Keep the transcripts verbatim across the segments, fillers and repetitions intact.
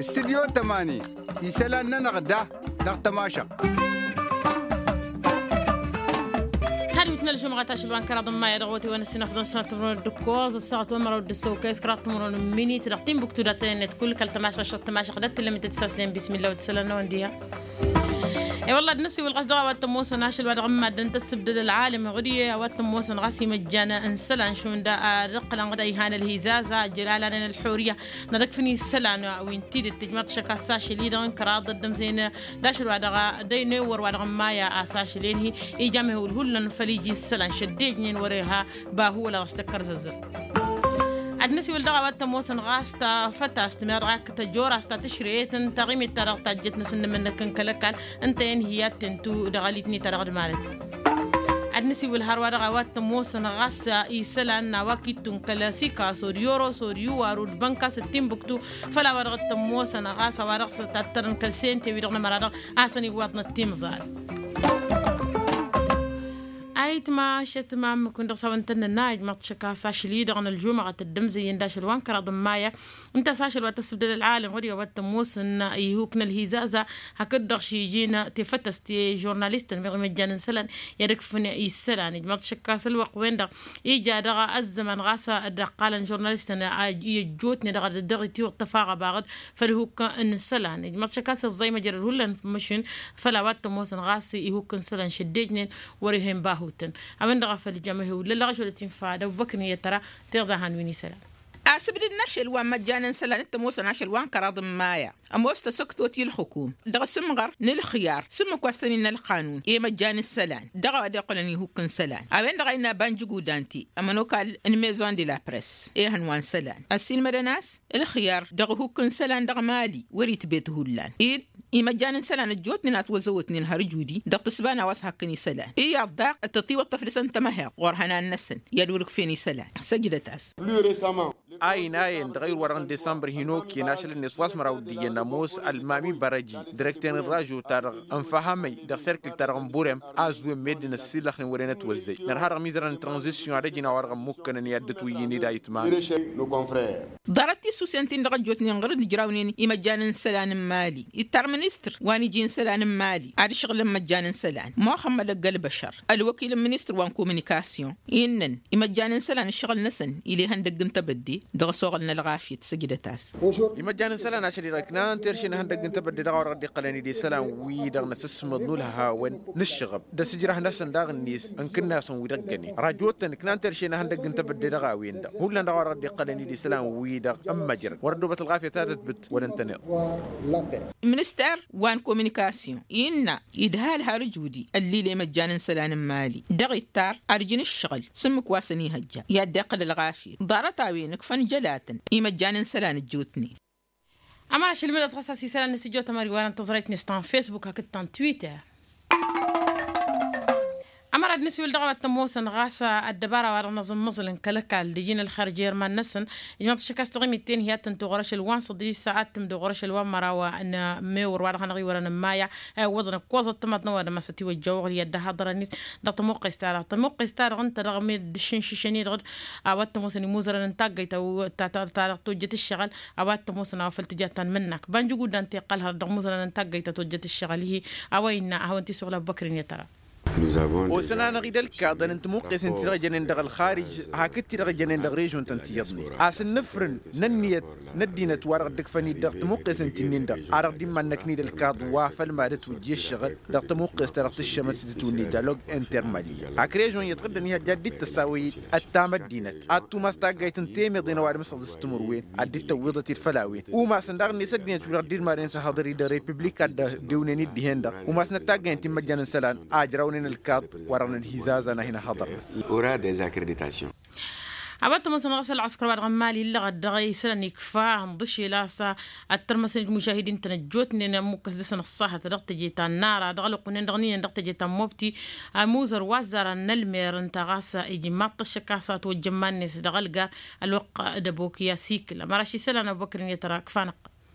Studyo tămani isălan-nănăɣ da dăɣ-tămašăɣt. Tadwit n-ălžumɣa tašǝlwa n-kăraḍ n-maya dăɣ-wătewăn ăssinăfḍăn sănăt timǝrwen d-ǝkkoẓ ăssaɣăt wămăraw d-ǝssăwkăy s-kăraḍ timǝrwen n-minit dăɣ-tinbuktu dat-tăyănnet kull kăl-tămašăɣt tămašăɣt dat-tǝllăm ităt s-aslen bismilla wăt isălan n-awăn diha. E-wălla ad-năsiwǝl ɣas dăɣ-a-wa t-ămoosăn ašăl wa dăɣ-n maddăn tăssǝbdăd ălɣalăm ɣud-i a-wa t-ămoosăn ɣas imăjjan n-isălan šund ad-ǝqqǝlăn ɣud-a ihan ălhizaza ăjjăl alanen ălḥurǝya n-ad-ăkfǝn isălan wi n-tidǝt tǝjmaḍ šăkk a-s ašăl-i-dăɣ n-kăraḍ ăddămzăyăn d-ašăl wa dăɣ-a dăy n-ewăr wa dăɣ-n-maya a-s ašăl-en-hi ija mehul hullan făl iji n-isălan šăddejnen wăr-iha bahu wăla ɣas tăkkărzăzzăr. Ad-năsiwǝl dăɣ-a-wa t-ămoosăn ɣas tafătast mi-ad-dăɣ-ak tăjorast ta tǝšrăyet n-taɣimit-ta-dăɣ tajjăt-năsăn n-emănnăk n-kăl-ăkall ǝnta-en hi-ad-tǝntu dăɣ-alitni-ta-dăɣ d-marăt. Ad-năsiwǝl hărwa dăɣ-a-wa t-ămoosăn ɣas isălan n-a-wa k-ittu n-kăl-sikaso d-yoros d-iwaru d-bănkas d-tinbuktu făll-a-wa dăɣ-t-ămoosăn ɣas a-wa dăɣ-s tattărăn kăl-sente-wi-dăɣ n-ămăra-dăɣ a-s ăniwwaḍnăt timẓal. Ayǝtma ašăt ma ǝmmǝk-win-dăɣ s-a-wa ǝntănnănna ijmaḍ-t šăkk a-s ašăl-i-dăɣ n-ălžumăɣăt dd-ǝmzăyyăn d-ašăl wa n-kăraḍ n-maya ǝnta a-s ašăl wa tăssǝbdăd ălɣalăm ɣur-i a-wa t-ămoosăn ihuk n-ălhizaza hakd-dăɣ šijin tefătăst i-žurnalistăn meɣ imăjjan n-isălan i-ad-ǝkfǝn isălan ijmaḍ-t šăkk a-s ălwăqq-wen-dăɣ ija dăɣ-ăzzăman ɣas dd-ăqqalăn žurnalistăn i-ăjjootnen dăɣ-dd-dăɣ-itiwǝḍ tăfaɣ abaɣ-dd făll-ihuk n-isălan ijmaḍ-t šăkk a-s ăẓẓăy măjrăd hullan f-măšin făll-a-wa t-ămoosăn ɣas ihuk n-isălan šăddejnen wăr-ih'-en bahutăn. A-wen-dăɣ a făl jam ehewǝl lăllăɣ ašăl ătinfa d-ăbubăkr n-iyyăt tăra tiɣḍahan wi n-isălan. Asǝbdǝd n-ašăl wa n-măjjan n-isălan t-ămoosăn ašăl wa n-kăraḍ n-maya ămoos tasăktot i-ǝlxǝkum dăɣ-asǝmɣăr n-ǝlxǝyar s-ǝmmǝk wa s-tăn-innă ălqanun i-măjjan n-isălan dăɣ-a-wa dd-iqqǝlăn ihuk n-isălan. A-wen-dăɣ a innă banjǝgudante ămănokal n-maison de la press ehăn wa n-isălan ăssiilmădăn a-s ǝlxǝyar dăɣ-ihuk n-isălan dăɣ-mali wăr-itbet hullan-i d-imăjjan n-isălan ăjjootnen a ătwăzăwătnen har ǝjudi dăɣ-tǝsba n-a-wa s-hakkăn isălan iyyăḍ daɣ tătiwăḍ tăflǝsăn tămăheḍt ɣur-ihănan-năsăn i-ad-wăr-ǝkfen isălan. Săjdăt-as. Plus récemment. A inayen dăɣ-ayǝr wa dăɣ-n disămbăr hin-okăyăn ašăl-net wa s-măraw d-iyyăn ămoos ălmami bărăji direkter n-ražo-ta-dăɣ n-făhămăy dăɣ-serkǝl-ta-dăɣ n-burem a ăzwen meddǝn ăssiilăxnen wăren ătwăzzăy nărha dăɣ-imizărăn n-tranzisyon ad-ăj inawăr dăɣ-ămmukkănăn i-ad-dd-ătwǝyyǝn-dd ayǝtman. Ḍarăt tissusen-tin-dăɣ ăjjootnen ɣur-dd ǝjrawnen imăjjan n-isălan n-mali ittar ministăr wa n-iji n-isălan n-mali ad-ǝššăɣǝlăn imăjjan n-isălan muxămmăd ăgg-ălbăšăr ălwăkil n-ministăr wa n-kominikasyon innăn imăjjan n-isălan ǝššăɣǝl-năsăn ila ihăndăgg n-tebădde dăɣ-asuɣǝl n-ălɣafyăt săjdăt-as. Imăjjan n-isălan ašăl-i-dăɣ ǝknan terše n-ihăndăgg n-tebădde dăɣ-a-wa-dăɣ dd-iqqălăn-dd isălan-wi-dăɣ n-asǝsmăḍ n-ulhawăn n-ǝššăɣăb d-asǝjrăh-năsăn daɣ-net ǝnkǝnnasun wi dăɣ-gănen rajotăn ǝknan terše n-ihăndăgg n-tebădde dăɣ-a-wen-dăɣ hullan dăɣ-a-wa-dăɣ dd-iqqălăn-dd isălan-wi-dăɣ ǝmmăjrăd wăr-ăddobăt ălɣafyăt ad-ătbǝt wăr-ǝntăneḍ. Minister wa n-kominikasyon innă idhal har ǝjudi ăllil i-imăjjan n-isălan n-mali dăɣ-ittar ad-ǝjǝn ǝššăɣǝl s-ǝmmǝk wa săn-ihăjja i-ad-dd-iqqǝl ălɣafyăt ḍarăt-a-wen ǝkfăn jălatăn imăjjan n-isălan ăjjootnen. Ămăra ašăl mădăt ɣas a-s isălan n-asǝjjot ămări wa n-tăẓrayt-net ta n-facebook hakd ta n-twitter. Ămăra ad-nǝswǝl dăɣ-a-wa t-ămoosăn ɣas ăddăbara wa dăɣ-năẓǝmmăẓǝl n-kăl-ăkall d-iji n-ălxer jer-iman-năsăn. Ijmăḍ ašăk a-s taɣimit-ten hi-ad-tǝntu ɣur-ašăl wa n-săḍis ad-tǝmdǝw ɣur-ašăl wa n-măraw n-mewăr wa dăɣ-hanăɣ-iwărăn n-maya. Iwwăḍăn ǝkkoẓăt tămaḍnăwădăm a-s-ătiwăjjăwăɣ i-ad-dd-haḍărăn-dd dăɣ-tămuqqes-ta-dăɣ tămuqqes-ta-dăɣ ǝnta dăɣ-meddǝššǝnšǝšăn-i-dăɣ a-wa t-ămoosăn imuzărăn n-taggăyt ta-dăɣ tojjăt ǝššăɣǝl. A-wa t-ămoosăn a-wa făl tǝja tanmǝnnak banjǝguddan teqqăl hărăt dăɣ-imuzărăn n-taggăyt ta tojjăt ǝššăɣǝl-hi. A-wa innă ad-hawăn-t-isuɣǝl ăbbăkrǝn i-tăra. Osăn-anăɣ-dd ălkaḍăn n-tămuqqesăn-ti-dăɣ jănen dăɣ-ălxarij hakd ti-dăɣ jănen dăɣ-režon-tăn ti iyyăḍnen a-s ǝnnǝfrǝn n-ǝnniyăt n-ăddinăt wa dăɣ-dd-ǝkfăn-dd dăɣ-tămuqqesăn-ti-nin-dăɣ a dăɣ-dd-immannăknid ălkaḍ wa făll-mad-ătwǝjja ǝššăɣǝl dăɣ-tămuqqes ta dăɣ-tǝššămăt s-dd-tǝwǝnni dialog intermali hak režon iyyăḍ ɣǝddăn-i hăjja dd-tăsawăy-dd ăttam ăddinăt ad-tumas taggayt n-temăḍe n-ăwadǝm s-ăẓẓǝs timǝrwen ad-dd-tăwwiḍăt-dd făll-a-wen umasăn daɣ-net ăddinăt wi-dăɣ dd-irmadăn s-ehăḍăr-i dăɣ-republik ad-dd-dewnen-dd dihen-dăɣ umasnăt taggayăn ti n-imăjjan n-isălan a ǝjrawnen ălkaḍ wăr-ărnăn hizaza n-ad-hin-ăhăḍărnăt. A-wa t-ămoosăn ɣas ălɣăskăr wa dăɣ-n mali illăɣăt dăɣ-isălan ikfa ănḍǝšel a-s ad-tărmăsăn-dd mušahidin-tăn ăjjootnen ămmukkăs dăɣ-săn ăṣṣahăt dăɣ-teje ta n-nara dăɣ-ălwăqq-nen dăɣ-niyăn dăɣ-teje ta n-mobti. Ămuzăr wa ăzzarăn n-ălmer ǝnta ɣas ijmaḍ-t ăššăk a-s ătwăjja iman-net dăɣ-ălgar ălwăqq d-ăbok i-asikǝl ămăraš isălan ăbubăkr-net ra ǝkfa-năɣ.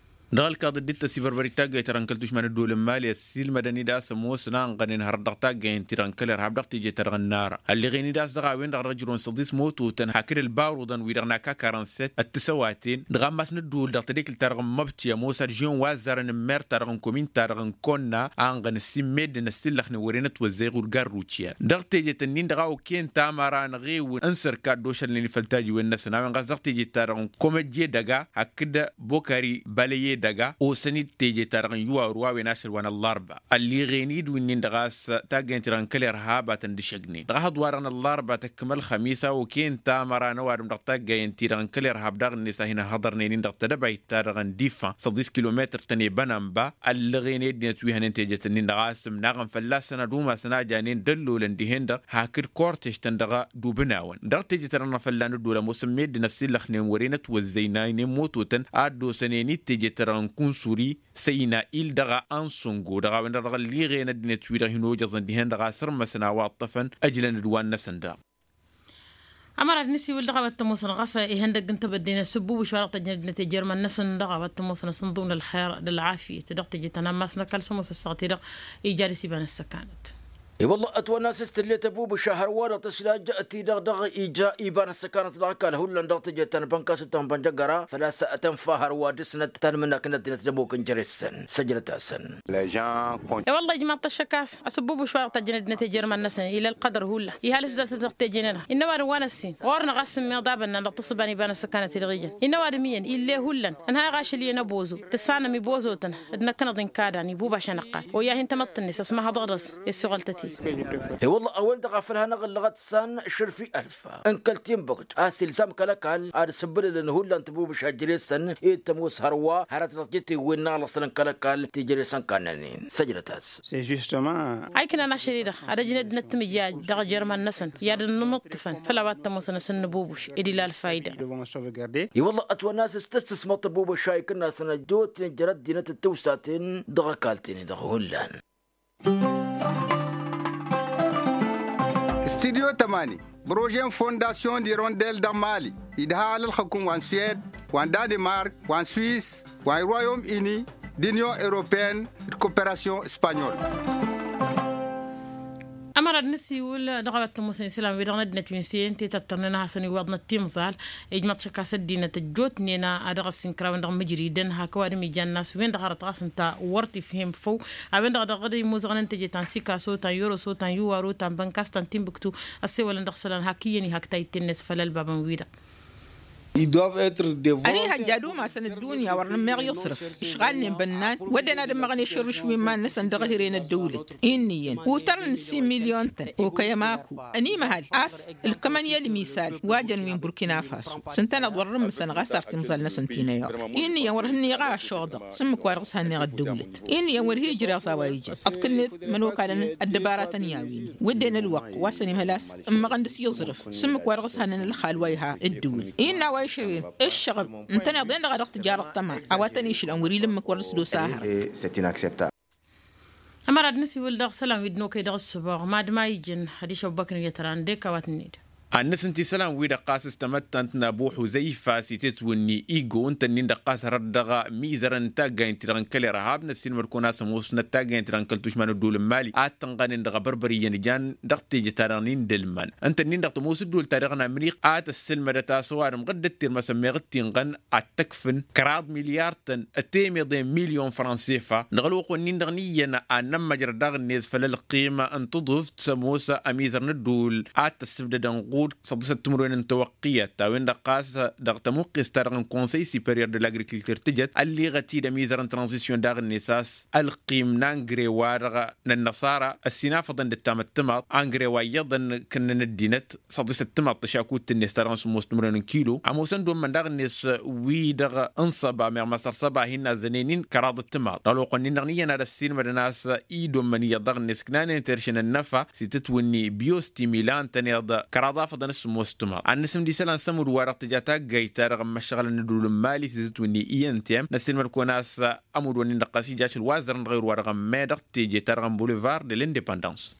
Dăɣ-ălkaḍ dd-tăsibărbărit taggayt-ta-dăɣ n-kăl-tušma n-ăddool n-imali ăssiilmădăn-dd a-s ămoosăn a ănɣănen hărăt dăɣ-taggay n-ti-dăɣ n-kăl-irhab dăɣ-teje-ta-dăɣ n-nara ălleɣen-dd a-s dăɣ-a-wen-dăɣ dăr-ăjrăwăn săḍis mototăn hakd ălbaruḍăn wi-dăɣ n-ak karănsăt ăttǝsăwaten dăɣ-ammas n-ăddool dăɣ-tedekǝlt-ta-dăɣ n-măbti ămoos ad-žen wa ăzzarăn n-mer-ta-dăɣ n-komin-ta-dăɣ n-konna a ănɣăn ăssimmedden ăssillăxnen wăren ătwăzzăy ɣur-garruciyan dăɣ-tejet-ǝnnin-dăɣ a okăyăn tamăra n-eɣewǝn n-sărka ăddošălnen-i făll-tajiwen-năsăn a-wen ɣas dăɣ-tejet-ta-dăɣ n-komăjje dăga hakd bokari balăye dăga osăn-dd teje-ta-dăɣ n-iwaru a-wen ašăl wa n-ăllarba ălliɣen-dd winnin-dăɣ a-s taggăyăn-ti-dăɣ n-kăl-irhab a tăn-dd-išăgnen dăɣ-ahăḍ-wa-dăɣ n-ăllarba tăkkăm ălxămis a okăyăn tamăra n-ăwadǝm dăɣ-taggăyăn-ti-dăɣ n-kăl-irhab daɣ-net a hin-ăhhăḍărnen-in dăɣ-tedăbayt-ta-dăɣ n-difa săḍis kilometăr-tăn i-bănănba ăllăɣen-dd-net wi hănen tejet-ǝnnin-dăɣ a-s ǝmnaɣăn fălla-săn ad-umasăn a janen d-ăllolăn dihen-dăɣ hakd kortež-tăn dăɣ-dubǝnawăn dăɣ-teje-ta-dăɣ n-afălla n-ăddol ămoosăn meddǝn ăssillăxnen wăren ătwăzzăynaynen mototăn a dd-osănen-dd teje-ta-dăɣ n-kunsuri săyna-il dăɣ-ansăngo dăɣ-a-wen-dăɣ dăɣ-ălliɣen ăddinăt-wi-dăɣ hin-ojăẓăn dihen-dăɣ a sărmăsăn a-wa ǝṭṭăfăn ăjlăn-dd wa n-năsăn daɣ. Ămăra d-nǝsiwǝl dăɣ-a-wa t-ămoosăn ɣas ihăndăgg n-tebădde n-asǝbbubǝš wa dăɣ-tăjjănăd d-inăt ejăr iman-năsăn dăɣ-a-wa t-ămoosăn asǝnḍǝw n-ălxer d-ălɣafyăt dăɣ-teje ta n-ammas n-ăkall s-ămoos ăssaɣăt-i-dăɣ ija ad-ăsibăn ăssăkanăt. I-wălla ătwănna s-tǝllet ăbubǝš a hărwa-dăɣ tăslajăt-i-dăɣ dăɣ-ija iba n-ăssăkanăt dăɣ-ăkall hullan dăɣ-teje ta n-bănkas d-tanbănjăgăra făl-a-s tăn-fa hărwa dăɣ-snăt ta n-imǝnnak n-ăddinăt d-ămuk n-jere-săn săjdăt-asăn. I-wălla ijmaḍ-t ăššăk a-s asǝbbubǝš wa dăɣ-tăjjăn ăddinăt ejăr iman-năsăn ila ălqădăr hullan ihal s-dăr-tăt-dăɣ teje-nănăɣ innă ăwadǝm wa n-ăssin ɣur-năɣ a-s ǝmmiḍabăn-nănăɣ tăṣṣăba n-iba n-ăssăkanăt-i-dăɣ ijăn innă ăwadǝm iyyăn ill'-e hullan ănhayăɣ ašăl iyyăn ăbozo tǝssanăm ibozootăn d-năkk năḍin kadăn ibuba ašăn ăqqal oya hin-tamăḍt-net ăsmăhăḍăɣ dăɣ-s i-ăssuɣăltăt-i. I-wălla a-wen-dăɣ a făl hanăɣ-ǝllăɣăt san šărfi ălf n-kăl-tinbăkt a-s ilzam kăl-ăkall ad-sǝbbǝlălăn hullan tăbubǝš a jere-săn i-tămoos hărwa hărăt dăɣ-jetewwen n-aɣlăsăn n-kăl-ăkall ti jere-săn kannănen săjdăt-as. A iknan ašăl-i-dăɣ ad-ăjnăd n-ăttămǝjjaj dăɣ-jer-iman-năsăn i-ad-ănnămăṭṭǝfăn făll-a-wa t-ămoosăn asǝnnǝbubǝš ed ila ălfayda. I-wălla ătwănna a-s tǝstǝsmăḍ tăbubǝš a ikǝnnasăn ăjjootnen jer-ăddinăt d-tiwsaten dăɣ-ăkall-ten-dăɣ hullan. Studyo tămani, brožen fondasyon d-irondel dăɣ-mali idha alălxăkum wa n-suwed, wa n-danimark, wa n-suwis, wa n-royom ini, d-inyon europen d-koperasyon spanyol. Ămăra d-nǝsiwǝl dăɣ-a-wa t-ămoosăn isălan-wi-dăɣ n-ăddinăt wi n-sǝyăn tetăttărnen a hasăn-iwwăḍnăt timẓal. Ijmăḍ šăkk a-s ăddinăt ăjjootnen a dăɣ-ăssinkărawăn dăɣ-mǝjridăn hak ăwadǝm ijan n-a-s wen-dăɣ hărăt ɣas ǝnta wăr t-ifhem făw. A-wen-dăɣ dăɣ-dd-imuzăɣăn n-teje ta n-sikaso ta n-yoroso ta n-yuwaro ta n-bănkas ta n-tinbǝktu. Ăssewălăn dăɣ-isălan hak iyyăn ihak tayǝtte-net făll-ălbabăn-wi-dăɣ. Ănihăjja ad-umasăn ăddunya wăr nǝmmeɣ iẓrǝf išɣalnen bănnan wădden ad-ǝmmăɣăn ešărrǝš wi n-iman-năsăn dăɣ-ehăre n-ăddăwlăt. Innă iyyăn utărăn n-similyon-tăn okăy ămaku ănimăhăl a-s ǝlkămăn i-ălmisal wa jăn wi n-burkina faso s-ǝntăneḍ wăr-ǝmmǝsăn ɣas ar timẓal-năsăn ti n-ăyuḍ. Innă iyyăn wăr hǝnneɣ a ăššăɣḍăɣ s-ǝmmǝk wa dăɣ-s hannăɣ ăddăwlăt. Innă iyyăn wăr hi-ǝjreɣ s-a-wa ijăn ăḍkǝlnet mănokalăn ăddăbaratăn i-a-wen-i wădden ălwăqq wa s-ănimhăl a-s ǝmmăɣăn dăɣ-s iẓrǝf s-ǝmmǝk wa dăɣ-s hannăn ălxal wa iha ǝddǝwǝl. Innă a-wa išăɣen ǝššăɣb ǝntăneḍ-en-dăɣ a dăɣ-tǝjarăḍ tăma a-wa tăn-išlăn wăr-ila ǝmmǝk wăr dăɣ-s d-osa a hărăt. Ămăra d-nǝsiwǝl dăɣ-isălan wi dd-nokăy dăɣ-ǝssǝboɣ mad-ma ijăn hădiš ăbubăkr n-iyyăt ăran d-eka wa tǝnned. Ad-nǝsǝnti isălan-wi-dăɣ ɣas s-tamăttant n-abu ḥuzăyfa s-itetwǝnni igo ǝnta-nin-dăɣ ɣas hărăt dăɣ-mizărăn n-taggayǝn-ti-dăɣ n-kăl-irhab năssiilmăd-kăwăn a-s ămoosnăt taggayǝn-ti-dăɣ n-kăl-tušma n-ăddol n-mali ad-tǝnɣănen dăɣ-abărbăr iyyăn ijan dăɣ-teje-ta-dăɣ n-indălman ǝnta-nin-dăɣ tămoos ăddol-ta-dăɣ n-amriq a tăssălmădăt a-s ăwadǝm ɣǝddǝt tirmăsăn meɣ dd-tinɣăn ad-t-ăkfǝn kăraḍ milyar-tăn ătemeḍe n-milyon fransefa dăɣ-ălwăqq-wen-in-dăɣ n-iyyăn ad-nămmăjrăd daɣ-net făll-ălqim n-tǝḍǝft s-ămoos ămizăr n-ăddul ad-t-ăssǝbdădăn ɣud săḍisăt timǝrwen n-tawăqqiyăt a-wen-dăɣ ɣas dăɣ-tămuqqest-ta-dăɣ n-konsăy siperyăr de l-agrikiltur tǝjăt ălliɣăt-dd ămizăr n-tranzisyon daɣ-net a-s ălqim n-angre wa-dăɣ n-ănnăṣara ăssinafăḍăn d-ăttam ăttămaḍ angre wa iyyăḍăn kănnăn ăddinăt săḍisăt tămaḍt tăšakut-net ta dăɣ-n sǝmmos timǝrwen n-kilo ămoosăn d-ommăn daɣ-net wi-dăɣ n-săba meɣ măsăr săba a hin-nazzănen-in kăraḍ ăttămaḍ dăɣ-ălwăqq-wen-in-dăɣ n-iyyăn ad-ăssiilmădăn a-s i-dd-ommăn iyyăḍ daɣ-net ǝknanen terše n-ănnăfa s-itǝtwǝnni biyos timila ǝntăneḍ kăraḍ afăḍăn s-sǝmmos tămaḍ ad-nǝsǝmd isălan s-ămudd-wa-dăɣ tǝja taggayt-ta-dăɣ n-imăššăɣălăn n-ăddul n-mali s-itǝtwǝnni i-n t m năssiilmăd-kăwăn a-s ămudd-wen-in-dăɣ ɣas ija ašăl wa ăzzărăn dăɣ-ewăr-wa-dăɣ ămmay dăɣ-teje-ta-dăɣ n-bulvar de l-independans.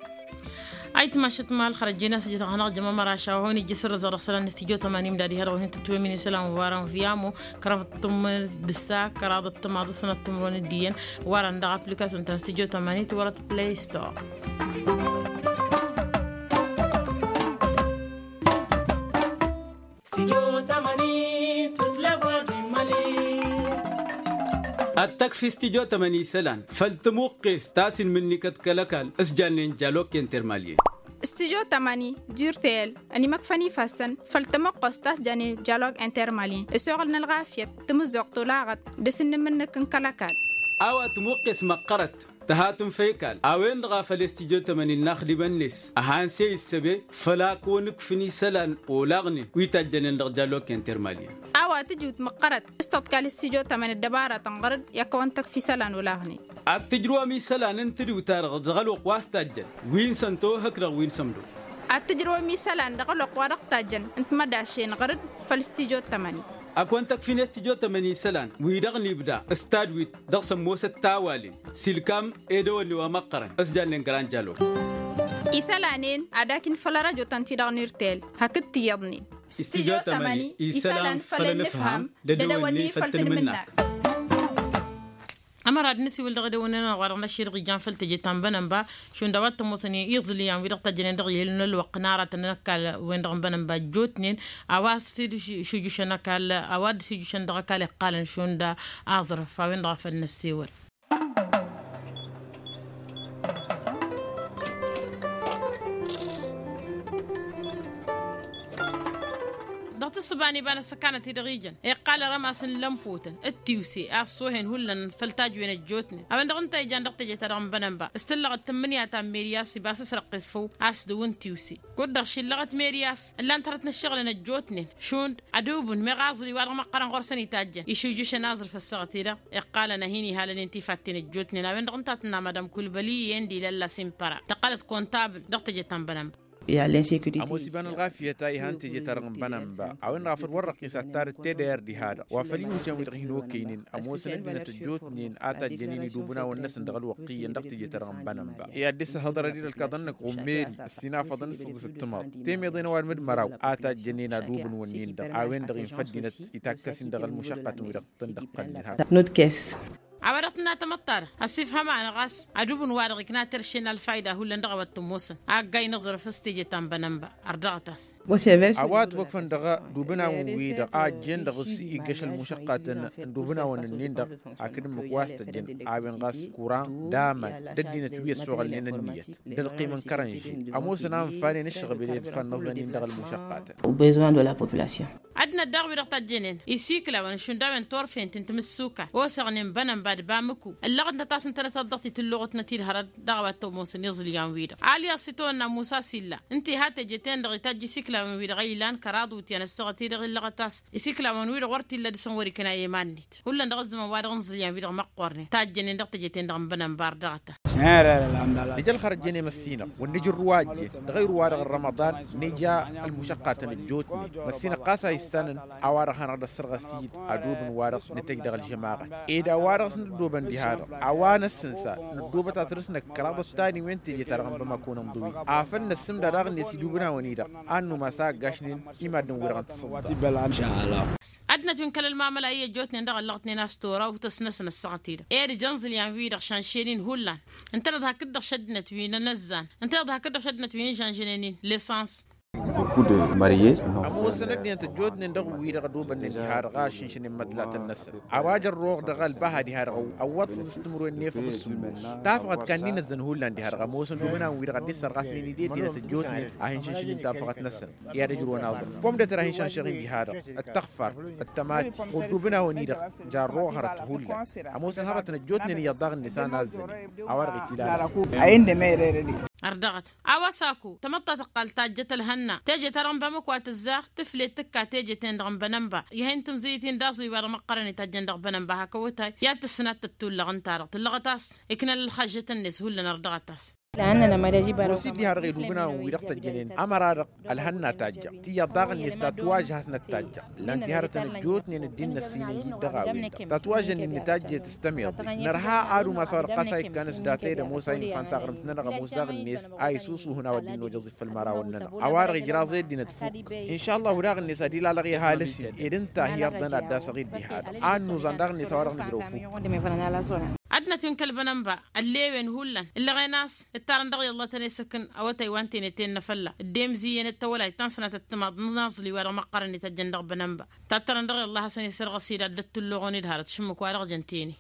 Ayǝtmašăt ma ălxărăt jen a-s ǝjrăɣ hanăɣ-jăm ămăraš a-wa hon-ijjǝs ǝrrǝẓăɣ dăɣ-isălan n-studyo tămănim d-ad-ihăḍ wa hin-tǝtwǝyăm inǝsălan wa n-viyamo kăraḍăt tǝmmǝnǝd d-ǝssa kăraḍăt tămaḍ s-sănăt timǝrwen d-iyyăn. Wa dăɣ-application ta n-studyo tămănim tǝwărăt play store. Ad-tăkfi studyo tămăni isălan făll-tămuqqes ta s-inmǝnnikăt kăl-ăkall s-jannen jalok intermalyen. Studyo tămăni d-urtel ănimăkfăn ifassăn făll-tămuqqes ta s-jannen jalok intermalyen s-oɣǝl n-ălɣafyăt tămǝzzuɣt olaɣăt d-asǝnnǝmǝnnǝk n-kăl-ăkall. A-wa tămuqqes măqqărăt tăhatǝn făy kal a-wen-dăɣ a făl i-studyo tămăni n-inaxdimăn-net ăhan s-e-issăbe făll-a kăwăn-ǝkfǝn isălan olaɣnen wi tajjănen dăɣ-jalok intermalyen. A-wa tǝjǝwt măqqărăt s-tăḍkal studyo tămăni ăddăbarătăn ɣăr-dd i-ad-kăwăn-tăkf isălan olaɣnen. Ad-tǝjrǝwăm isălan n-tǝdǝw-ta-dăɣ dăɣ-ălwăqq wa s-tajjăn wi n-sănto hăkk dăɣ-wi n-sămdo. Ad-tǝjrǝwăm isălan dăɣ-ălwăqq wa dăɣ-tajjăn n-timădašen ɣăr-dd făll-studyo tămăni. Ad-kăwăn-tăkfin studyo tămăni isălan wi-dăɣ n-ibda s-tadwit dăɣ-sămmosăt tawalen s-ilkam edăwănne wa măqqărăn s-jannen grand jalok. Isălanen ad-akin făll-arăjo-tăn-ti-dăɣ n-urtel hakd tiyyăḍnen. Studyo tămăni isălan făll-ănǝfham d-edăwănne făll-tǝnmǝnnak. Ămăra ad-nǝsiwǝl dăɣ-edăwănne-nănăɣ wa dăɣ-năšširăɣ ijan făll-teje ta n-bănănba šund a-wa t-ămoosăn iẓǝlǝyan wi-dăɣ tăjjănen dăɣ-ihăl n-ălwăqq n-aratăn n-ăkall-wen-dăɣ n-bănănba ăjjootnen. A-wa s-dd-šujjušăn ăkall a-wa dd-šujjušăn dăɣ-ăkall iqqalăn šund aẓrǝf a-wen-dăɣ a făl năssewăl. Dăɣ-tǝssǝba n-iba n-ăssăkanăt-i-dăɣ ijăn iqqal rămas n-lămpotăn d-tiwse a ăṣṣoohen hullan făll-tajwen ăjjootnen a-wen-dăɣ ǝnta ijan dăɣ-teje-ta-dăɣ n-bănănba s-tǝllăɣ d-tǝmmǝnǝya ta n-meryas iba s-ăsrăqqes făw a-s dăw-ǝntiwse. Kud-dăɣ šillăɣăt meryas ǝllan-t hărăt n-ǝššăɣǝlăn ăjjootnen šund ădubǝn meɣ aẓli wa dăɣ-măqqărăn ɣur-săn itajjăn išujjǝšăn aẓrǝf ăssaɣăt-i-dăɣ iqqalăn a hin-ihalănen tifatten ăjjootnen a-wen-dăɣ ǝnta a tǝnna madam kulbăli i-enda ilălla simpăra tăqqălăt kontabǝl dăɣ-teje ta n-bănănba. Ămoos iba n-ălɣafyăt a ihan teje-ta-dăɣ n-bănănba a-wen-dăɣ a făl wăr răqqis ad-tarǝt tedăyăr diha-dăɣ wa făl iwǝjăn wi-dăɣ hin-okăynen ămoosăn ăddinăt ăjjootnen a tajjănen idubǝnawăn-năsăn dăɣ-ălwăqq iyyăn dăɣ-teje-ta-dăɣ n-bănănba i-ad-dd-săhhăḍărăd-i-dăɣ ălkaḍăn-năk ɣummel ăssinafăḍăn s-săḍǝs ǝttǝmaḍ temeḍen ăwadǝm d-măraw a tajjănen adubǝn-wǝnnin-dăɣ a-wen-dăɣ infa ăddinăt itakkăs-in dăɣ-ălmušăqqatăn wi-dăɣ tǝndăqqălnen. A-wa-dăɣ tǝnna tamăḍt-ta-dăɣ ăsifhăm-anăɣ a-s adubǝn-wa-dăɣ ikna terše n-alfayda hullan dăɣ-a-wa t-ămoosăn a ăgg-ay n-aẓrǝf s-teje ta n-bănănba. Ărdăɣăt-as. A-wa ătwăkfăn dăɣ-idubǝnawăn wi-dăɣ a ăjjeen dăɣ-s iggăš ălmušăqqatăn n-idubǝnawăn-nin-dăɣ hakd ǝmmǝk wa s-tăjjăn a-wen ɣas kura d-aman d-ăddinăt wi ăssoɣălnen ănniyăt d-ălqim n-kărănži ămoosăn a ǝnfanen ǝššăɣbel i-ad-ǝfan inăẓăn-in dăɣ-ălmušăqqatăn. Ăddinăt daɣ wi-dăɣ tajjănen isikǝlawăn šund a-wen turfen ti n-timǝssuka osăɣnen bănănba d-bamǝku ǝllăɣătnăt a-s ǝntănăt ad-dăɣ-t-tǝllăɣătnăt-dd hărăt dăɣ-a-wa t-ămoosăn iẓǝlyan-wi-dăɣ alyaẓ s-itawănna musa s-illa ǝnta iha teje-ten-dăɣ itajj isikǝlawăn-wi-dăɣ a ilan kăraḍ iwǝtyan ăssaɣăt-i-dăɣ illăɣăt a-s isikǝlawăn-wi-dăɣ wăr t-illa dăɣ-săn wăr-ikna i-iman-net. Hullan dăɣ-ăzzăman wa dăɣ-inẓǝlyan-wi-dăɣ măqqoornen tajjănen dăɣ-teje-ten-dăɣ n-bănănba ărdăɣăt-as. Nǝj' ălxărăt jănem ăssinăɣ wăr nǝj' ǝrruwajjen dăɣ-ayǝr-wa-dăɣ n-rămăḍan. Nǝja ălmušăqqatăn ăjjootnen măssinăɣ ɣas a issanăn a-wa-dăɣ hanăɣ-dd-ăssărɣăs-dd adub n-wa-dăɣ nǝtăjj dăɣ-ălžămaɣăt ed a-wa-dăɣ s-nǝddobăn diha-dăɣ a-wa năssǝnsa nǝddobăt ad-tărǝsnăk kăraḍăt tani wen teje-ta-dăɣ n-bamako n-inḍǝwi afăl năssǝmda daɣ-net idubǝnawăn-i-dăɣ a ănnumas a ăggašnen i-maddǝn-wi-dăɣ n-tǝsǝḍḍa. Ăddinăt wi n-kăl-ălmamăla i-ăjjootnen dăɣ-ăllăɣătnen a-s tora utăs-năsăn ăssaɣăt-i-dăɣ ed ija ǝnẓǝlyan-wi-dăɣ šanšen-in hullan. Ǝntăneḍ hakd-dăɣ šăddinăt wi n-anăzzan ǝntăneḍ hakd-dăɣ šăddinăt wi n-ižănžănen-in. Lesăns. Ămoosăn ăddinăt ăjjootnen dăɣ-wi-dăɣ ădobănnen diha-dăɣ a ăššǝnšănen măḍlatăn-năsăn a-wa jărroɣ dăɣ-ălbaha diha-dăɣ ăwwăḍ s-ǝssǝmrǝwen n-efăḍ s-sǝmmos tafăɣăt kanni n-ăzzăn hullan diha-dăɣ ămoosăn d-ubǝnawăn-wi-dăɣ a dd-isărɣasnen ed ăddinăt ăjjootnen a hin-šǝnšǝn-in tafăɣăt-năsăn i-ad-ǝjrǝwăn aẓrǝf pomdăter a hin-šănšăɣ-in diha-dăɣ d-tăɣfart d-tămati ɣur-dd ubǝnawăn-i-dăɣ jarroɣ hărăt hullan. Ămoosăn hărătăn ăjjootnen iyyăḍ daɣ-net a nazzănen a-wa-dăɣ itilalăn. Ărdăɣăt a-wa s-ako tamăḍt ta tǝqqal tajjăt ălhănna teje-ta-dăɣ n-bamăk wa tǝzzaɣ tǝflet tǝkka teje-ten-dăɣ n-bănănba. Ih'-en tǝmzǝyǝt-in d-aẓǝy wa dăɣ-măqqărăn itajjăn dăɣ-bănănba hak awătay i-ad-tǝssǝnat tăttullăɣ ǝnta-dăɣ tǝllăɣăt a-s iknăn ălxăžžăt-net hullan ărdăɣăt a-s. Ămoos-i dd-iha-dăɣ edubǝnawăn-wi-dăɣ tăjjănen ămăra-dăɣ ălhănna tajjăɣ tiyyăḍ daɣ-net ta tǝwajjăh a-s năttajjăɣ ǝllan-t iha-dăɣ tăn-ăjjootnen ăddin n-ăssinăy-i-dd dăɣ-a-wen-dăɣ ta tǝwajjănen nǝtajjet s-tămiḍe. Nărha ad-umas a-wa-dăɣ ɣas a ikkan s-data-i d-ămoos a infa n-taɣrǝmt-nănăɣ ămoos daɣ-net a isusuhǝn a-wa dd-innojăẓ i făll-mărawăn-nănăɣ a-wa-dăɣ ijraẓ i-ăddinăt fukk. Inša ăllahu daɣ-net ad-ilalăɣ i-ăhalǝs-in ed ǝnta a hi-irdăn ad-dd-asăɣ i-dd-iha-dăɣ a ănnuẓan daɣ-net a-wa-dăɣ nǝjrăw fukk. Ad-năt-inkăl bănănba ălleewen hullan ǝllăɣen a-s ǝttarăn dăɣ-i ăllah tăn-e-sǝkǝn. Awătay wa n-tenăt-en n-afălla dd-emzǝyyăn d-tawălayt ta n-sănatăt timaḍ n-aẓli-wa-dăɣ măqqărăn-i tăjjăn dăɣ-bănănba. Tattărăn dăɣ-i ăllah a-s ănesărɣăs-dd ad-dd-ăttullăɣon-dd harăt šǝmmǝk wa dăɣ-jăn tene.